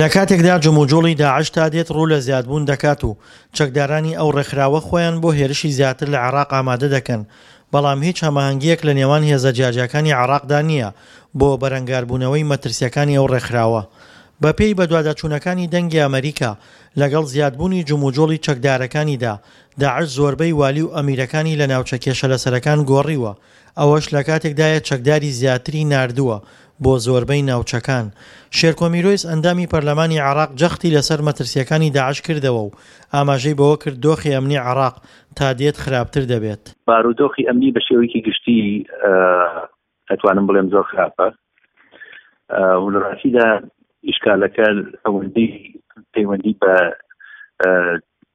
لە کاتێکدا جموجوڵی داعش تا دێت ڕوو لە زیادبوون دەکات و چەکدارانی ئەو ڕێکخراوە خۆیان بۆ هێرشی زیاتر لە عێراق ئامادە دەکەن، بەڵام هیچ هەماهەنگییەک لە نێوان هێزە جیاجیاکانی عێراقدا نییە بۆ بەرەنگاربوونەوەی مەترسییەکانی ئەو ڕێکخراوە. بەپێی بەدواداچوونەکانی دەنگی ئەمەریکا، لەگەڵ زیادبوونی جموجوڵی چەکدارەکانیدا، داعش زۆربەی والی و ئەمیرەکانی لە ناوچە کێشەلەسەرەکان گۆڕیوە، ئەوەش لەکاتێکدایە چەکداری زیاتری ناردووە بۆ زۆربەی ناوچەکان. شێرکۆ میرۆیس ئەندامی پەرلەمانی عێراق جەختی لەسەر مەترسییەکانی داعش کردەوە و ئاماژەی بەوە کرد دۆخی ئەمنی عێراق تا دێت خراپتر دەبێت. بارودۆخی ئەمنی بە شێوەیەکی گشتی ئەتوانم بڵێم زۆر خراپە و لە ڕاستیدا ئیشکالەکە ئەوەندەی پەیوەندی بە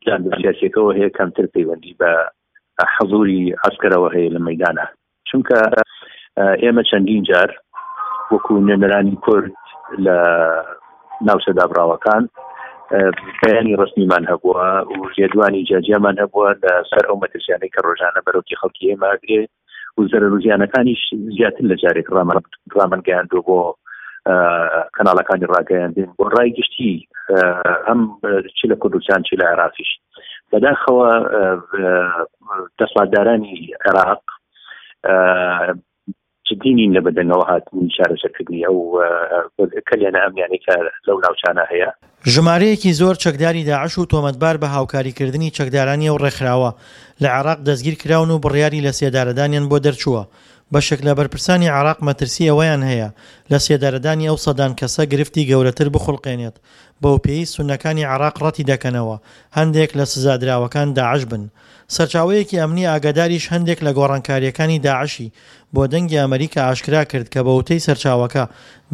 جانبە سیاسیەکەوە هەیە کەمتر پەیوەندی بە حەزوری عەسکەرەوە هەیە لە مەدانە چونکە ئێمە چەندین جار وەکو نوێنەرانی کورد لە ناوچە دابراوەکان بەیانی ڕسمیمان هەبووە و لێدوانی جیاجیامان هەبووە لە سەر ئەو مەترسیانەی کە ڕۆژانە بەرۆکی خەڵکی ئێمە ئەگرێ و زەرەر و زیانەکانیش زیاتر لە جارێک ڕامان گەیاندووە بۆ کەناڵەکانی ڕاگەیاندن بۆ ڕای گشتی هەم چ لە کوردستان چ لە عێراقیش بەداخەوە دەسەڵاتدارانی عێراق جدی نین لە بەدەنگەوە هاتنی چارەسەرکردنی ئەو کەلێنە ئەمنیانەی کە لەو ناوچانە هەیە. ژمارەیەکی زۆر چەکداری داعش و تۆمەتبار بە هاوکاریکردنی چەکدارانی ئەو ڕێکخراوە لە عێراق دەستگیرکراون و بڕیاری لەسێدارەدانیان بۆ دەرچووە. بەشێک لە بەرپرسانی عێراق مەترسی ئەوەیان هەیە لەسێدارەدانی ئەو سەدان کەسە گرفتی گەورەتر بخوڵقێنێت، بەوپێیەی سوننەکانی عێراق ڕەتیدەکەنەوە هەندێک لە سزادراوەکان داعش بن. سەرچاوەیەکی ئەمنی ئاگاداریش هەندێک لە گۆڕانکارییەکانی داعشی بۆ دەنگی ئەمەریکا ئاشکرا کرد کە بەوتەی سەرچاوەکە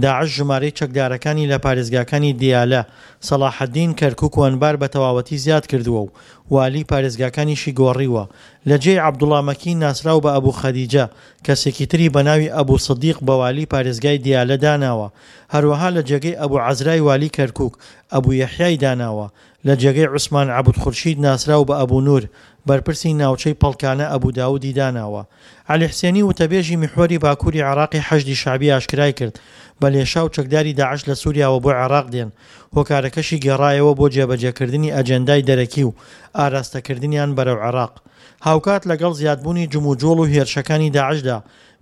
داعش ژمارەی چەکدارەکانی لە پارێزگاکانی دیالە، سەڵاحەدین، کەرکوک و ئەنبار بە تەواوەتی زیاد کردووە و والی پارێزگاکانیشی گۆڕیوە لە جێی عەبدوڵا مەکی ناسراو بە ئەبو خەدیجە کەسێکی تری بە ناوی ئەبو سدیق بە والی پارێزگای دیالە داناوە هەروەها لە جێگەی ئەبو عەزرای والی کەرکوک ئەبو یەحیای داناوە لە جێگەی عوسمان عەبد خورشید ناسراو بە ئەبو نور، بەرپرسی ناوچەی پەڵکانە ئەبو داودی داناوە. عەلی حسێنی وتەبێژی میحوەری باکوری عێراقی حەشدی شەعبی ئاشکرای کرد، بە لێشاو چەکداری داعش لە سوریاوە بۆ عێراق دێن، هۆکارەکەشی گێڕایەوە بۆ جێبەجێکردنی ئەجێندای دەرەکی و ئاراستەکردنیان بەرەو عێراق. هاوکات لەگەڵ زیادبوونی جموجوڵ و هێرشەکانی داعشدا،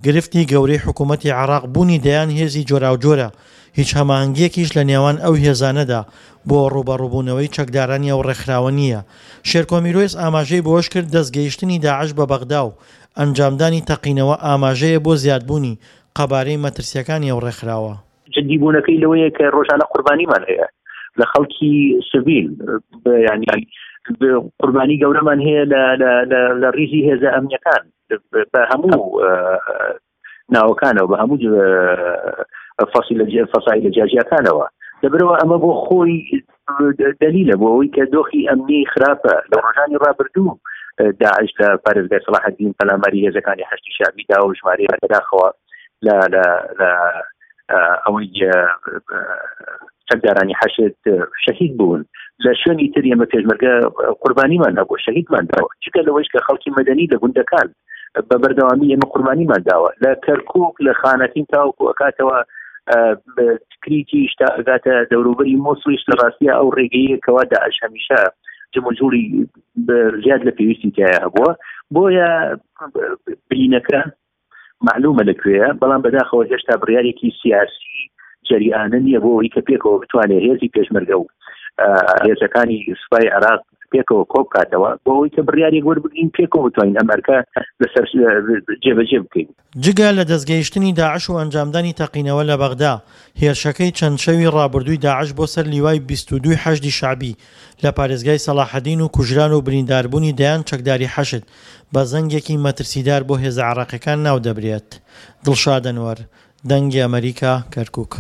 گرفتی گەورەی حکوومەتی عێراق بوونی دەیان هێزی جۆراوجۆرە، هیچ هەماهەنگییەکیش لە نێوان ئەو هێزانەدا بۆ ڕووبەڕووبوونەوەی چەکدارانی ئەو ڕێکخراوە نییە. شێرکۆ میرۆیس ئاماژەی بەوەشکرد، دەستگەیشتنی داعش بە بەغدا و ئەنجامدانی تەقینەوە ئاماژەیە بۆ زیادبوونی قەبارەی مەترسییەکانی ئەو ڕێکخراوە. جدی بوونەکەی لەوەیە کە ڕۆژانە قوربانیمان هەیە لە خەڵکی سڤیل ینی قوربانی گەورەمان هەیە لە ڕیزی هێزە ئەمنیەکان بە هەموو ناوەکانەوە بە هەموو فەسی لە فەسای لە جیاجیاکانەوە لەبەرەوە ئەمە بۆ خۆی دەلیلە بۆ ئەوەی کە دۆخی ئەمنی خراپە لە ڕۆژانی ڕابردوو داعش لە پارێزگای سەڵاحەدین پەلاماری هێزەکانی حەشدی شەعبی دا و ژمارەیەک بەداخەوە لە لە لە ئەوەی چەکدارانی حەشد شەهید بوون لە شوێنی تر ئێمە پێشمەرگە قوربانیمان هەبوو شەهیدمان داوە جگە لەوەیش کە خەڵکی مەدەنی لە گوندەکان بە بەردەوامی ئێمە قوربانیمان داوە لە کەرکک لە خانەتین تاوەکو ئەکاتەوە تکریتیش تا ئەگاتە دەوروبەری مۆسڵیش لە ڕاستیە ئەو ڕێگەیە کەوا داعش هەمیشە جموجوڵی زیاد لە پێویستی تایە هەبووە بۆیە برینەکە معلومە لە کوێیە بەڵام بەداخەوە هێشتا بڕیارێکی سیاسی جەریانە نییە بۆ ئەوەی کە پێکەوە بتوانێت هێزی پێشمەرگە و هێزەکانی سوپای عێراق پێکەوە کۆبکاتەوە بۆ ئەوەی کە بڕیارێک وەربگرین پێکەوە بتوانین ئەم ئەرکە لەسەر جێبەجێ بکەین. جگە لە دەستگەیشتنی داعش و ئەنجامدانی تەقینەوە لە بەغدا، هێرشەکەی چەند شەوی ڕابردووی داعش بۆ سەر لیوای 22 ی حەشدی شەعبی لە پارێزگای سەڵاحەدین و کوژران و برینداربوونی دەیان چەکداری حەشد بە زەنگێکی مەترسیدار بۆ هێزە عێراقیەکان ناودەبرێت. دڵشاد ئەنوەر، دەنگی ئەمەریکا، کەرکوک.